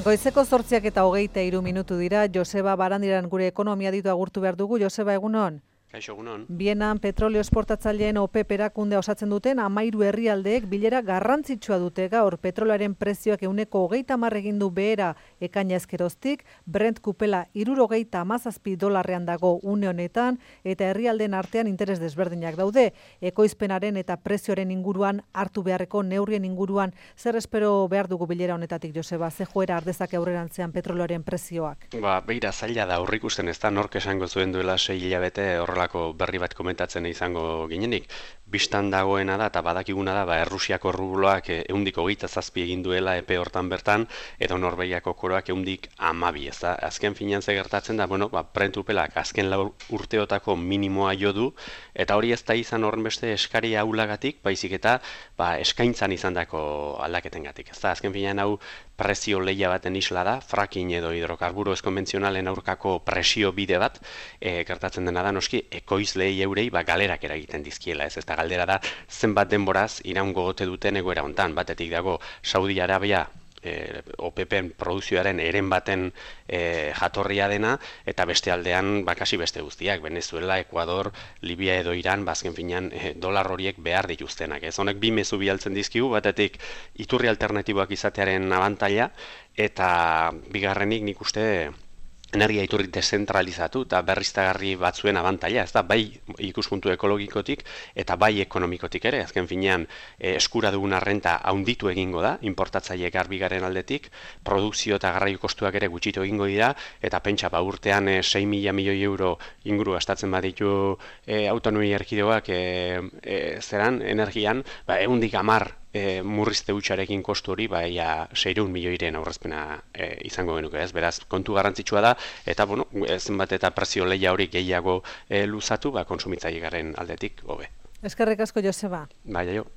Goizeko 8:23 dira, Joseba Barandiaran gure ekonomia ditu agurtu behar dugu. Joseba, egunon? Kaixo, egunon. Bienan petrolio esportatzaileen OPEP erakundea osatzen duten 13 herrialdeek bilera garrantzitsua dute gaur. Petrolaren prezioak 130 egin du behera ekaina ezkeroztik, Brent kupela $67 dago une honetan, eta herrialdeen artean interes desberdinak daude. Ekoizpenaren eta prezioaren inguruan, hartu beharreko neurrien inguruan, zer espero behar dugu bilera honetatik, Joseba? Ze joera ardezake aurrerantzean petrolioaren prezioak? Beira, zaila da aurrikusten, ez da nork esango zuen duela 6 hilabete horrelako berri bat komentatzen izango ginenik. Bistan dagoena da, eta badakiguna da, Errusiako rubloak 127 egin duela epe hortan bertan, edo Norvegiako koroak 112, ez da. Azken finean ze gertatzen da, Brent upelak azken urteotako minimoa jo du, eta hori ez da izan horrenbeste eskari ahulagatik, baizik eta eskaintzan izandako aldaketengatik. Ez da, azken finean hau prezio lehia baten isla da, fracking edo hidrokarburo ez konbentzionalen aurkako presio bide bat, gertatzen dena da, noski, ekoizleei eurei galerak eragiten dizkiela, ez da galdera da, zenbat denboraz iraungo gote duten egoera hontan, batetik dago Saudi Arabia, OPEPen produzioaren eren baten jatorria dena, eta beste aldean kasi beste guztiak, Venezuela, Ecuador, Libia edo Iran, azken finean dolar horiek behar dituztenak. Ez honek bi mezu bialtzen dizkigu, batetik iturri alternatiboak izatearen abantaila, eta bigarrenik nik uste energia iturri dezentralizatu eta berriztagarri batzuen abantaila, ez da, bai ikuspuntu ekologikotik eta bai ekonomikotik ere, azken finean eskura dugun renta handitu egingo da, importatzaile garbigaren aldetik, produkzio eta garraio kostuak ere gutxitu egingo dira, eta pentsa, urtean 6.000 milioi euro inguru gastatzen baditu autonomia erkidegoak zeran, energian, 110 murrizte hutsarekin kostu hori, 600 milioiren aurrezpena izango genuke, ez? Beraz, kontu garrantzitsua da, eta, zenbat eta prezio lehia hori gehiago luzatu, konsumitzaile garen aldetik, hobe. Eskerrik asko, Joseba. Bai, jo.